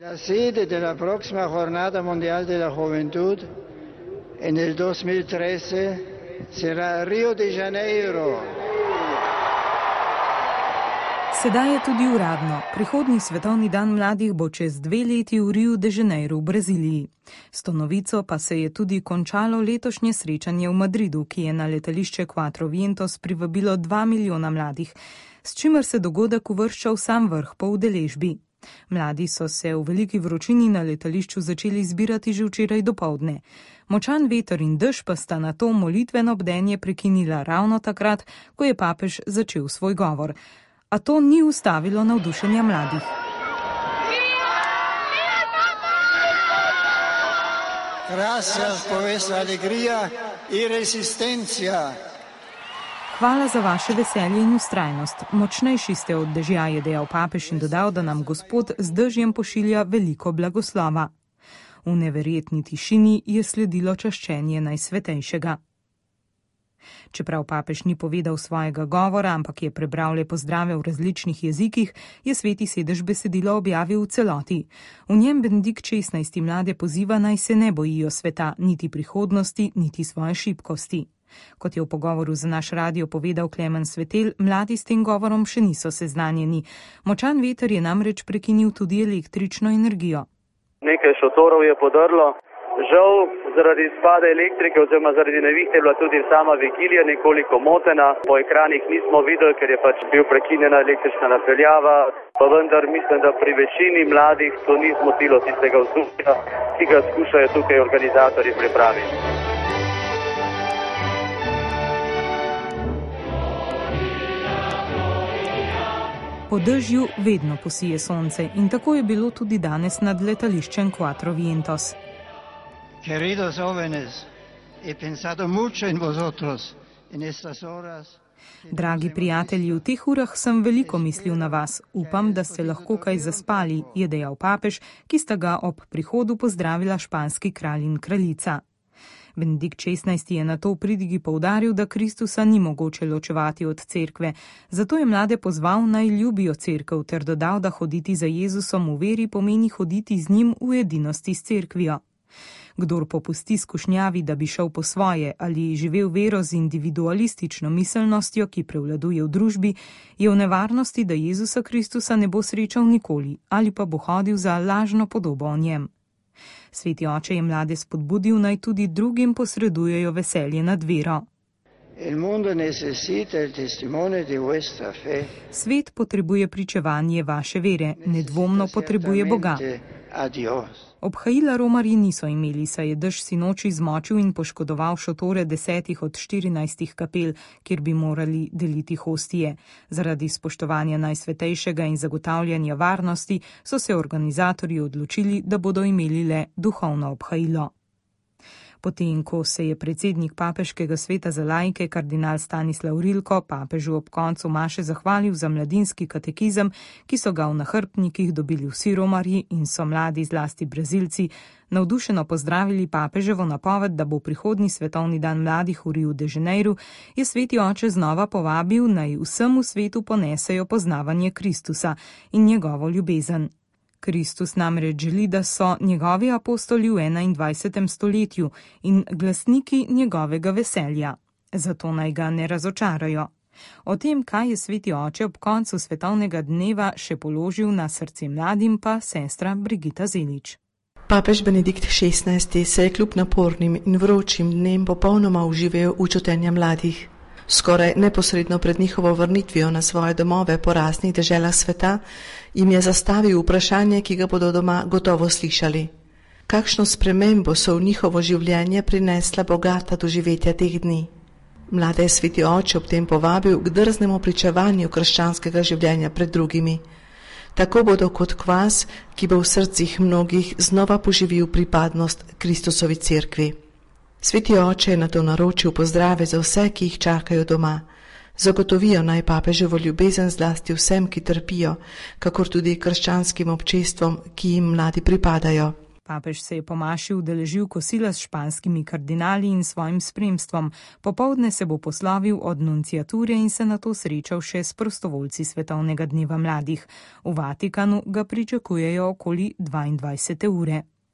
La sede della prossima Jornada Mundial de la Juventud nel 2013 sarà Rio de Janeiro. Sedaj je tudi uradno. Prihodnji svetovni dan mladih bo čez 2 leti v Riu de Janeiro v Braziliji. S to novico pa se je tudi končalo letošnje srečanje v Madridu, ki je na letališče Quatro Vientos privabilo 2 milijona mladih, s čimer se dogodek uvršča v sam vrh po udeležbi. Mladi so se v veliki vročini na letališču začeli zbirati že včeraj dopoldne. Močan veter in dež pa sta na to molitveno bdenje prekinila ravno takrat, ko je papež začel svoj govor. A to ni ustavilo navdušenja mladih. Hvala za vaše veselje in vztrajnost. Močnejši ste od dežja, je dejal papež in dodal, da nam Gospod z dežjem pošilja veliko blagoslova. V neverjetni tišini je sledilo čaščenje Najsvetejšega. Čeprav papež ni povedal svojega govora, ampak je prebral le pozdrave v različnih jezikih, je Sveti sedež besedilo objavil v celoti. V njem Benedikt XVI mlade poziva, naj se ne bojijo sveta, niti prihodnosti, niti svoje šibkosti. Kot je v pogovoru za naš radio povedal Klemen Svetel, mladi s tem govorom še niso seznanjeni. Močan veter je namreč prekinil tudi električno energijo. Nekaj šotorov je podrlo. Žal, zaradi izpada elektrike oziroma zaradi nevihte je bila tudi sama vigilija nekoliko motena. Po ekranih nismo videli, ker je pač bil prekinjena električna napeljava, pa vendar mislim, da pri večini mladih to ni zmotilo tistega vzdušja, ki ga skušajo tukaj organizatorji pripraviti. Po dežju vedno posije sonce in tako je bilo tudi danes nad letališčem Quatro Vientos. Queridos jóvenes, he pensado mucho en vosotros en estas horas. Dragi prijatelji, v teh urah sem veliko mislil na vas. Upam, da ste lahko kaj zaspali, je dejal papež, ki sta ga ob prihodu pozdravila španski kralj in kraljica. Benedikt XVI je na to v pridigi poudaril, da Kristusa ni mogoče ločevati od cerkve. Zato je mlade pozval, naj ljubijo cerkev, ter dodal, da hoditi za Jezusom v veri pomeni hoditi z njim v edinosti s cerkvijo. Kdor popusti skušnjavi, da bi šel po svoje ali živel vero z individualistično miselnostjo, ki prevladuje v družbi, je v nevarnosti, da Jezusa Kristusa ne bo srečal nikoli ali pa bo hodil za lažno podobo o njem. Sveti oče je mlade spodbudil, naj tudi drugim posredujejo veselje nad vero. Svet potrebuje pričevanje vaše vere, nedvomno potrebuje Boga. Obhajila romarji niso imeli, saj je dež sinoči zmočil in poškodoval šotore 10 od 14 kapel, kjer bi morali deliti hostije. Zaradi spoštovanja Najsvetejšega in zagotavljanja varnosti so se organizatorji odločili, da bodo imeli le duhovno obhajilo. Potem, ko se je predsednik Papeškega sveta za laike, kardinal Stanislav Rilko, papežu ob koncu maše zahvalil za mladinski katekizem, ki so ga v nahrbtnikih dobili vsi romarji in so mladi, zlasti Brazilci, navdušeno pozdravili papeževo napoved, da bo prihodnji svetovni dan mladih v Riu de Janeiro, je sveti oče znova povabil, naj vsemu svetu ponesejo poznavanje Kristusa in njegovo ljubezen. Kristus namreč želi, da so njegovi apostoli v 21. stoletju in glasniki njegovega veselja. Zato naj ga ne razočarajo. O tem, kaj je sveti oče ob koncu svetovnega dneva še položil na srce mladim, pa sestra Brigita Zelič. Papež Benedikt XVI se je kljub napornim in vročim dnem popolnoma uživel v čutenja mladih. Skoraj neposredno pred njihovo vrnitvijo na svoje domove po raznih deželah sveta jim je zastavil vprašanje, ki ga bodo doma gotovo slišali. Kakšno spremembo so v njihovo življenje prinesla bogata doživetja teh dni? Mlade je sveti oče ob tem povabil k drznemu pričevanju krščanskega življenja pred drugimi. Tako bodo kot kvas, ki bo v srcih mnogih znova poživil pripadnost Kristusovi cerkvi. Sveti oče je na to naročil pozdrave za vse, ki jih čakajo doma. Zagotovijo naj papeževo ljubezen zlasti vsem, ki trpijo, kakor tudi krščanskim občestvom, ki jim mladi pripadajo. Papež se je po maši udeležil kosila s španskimi kardinali in svojim spremstvom. Popoldne se bo poslovil od nunciature in se nato srečal še s prostovoljci Svetovnega dneva mladih. V Vatikanu ga pričakujejo okoli 22. ure.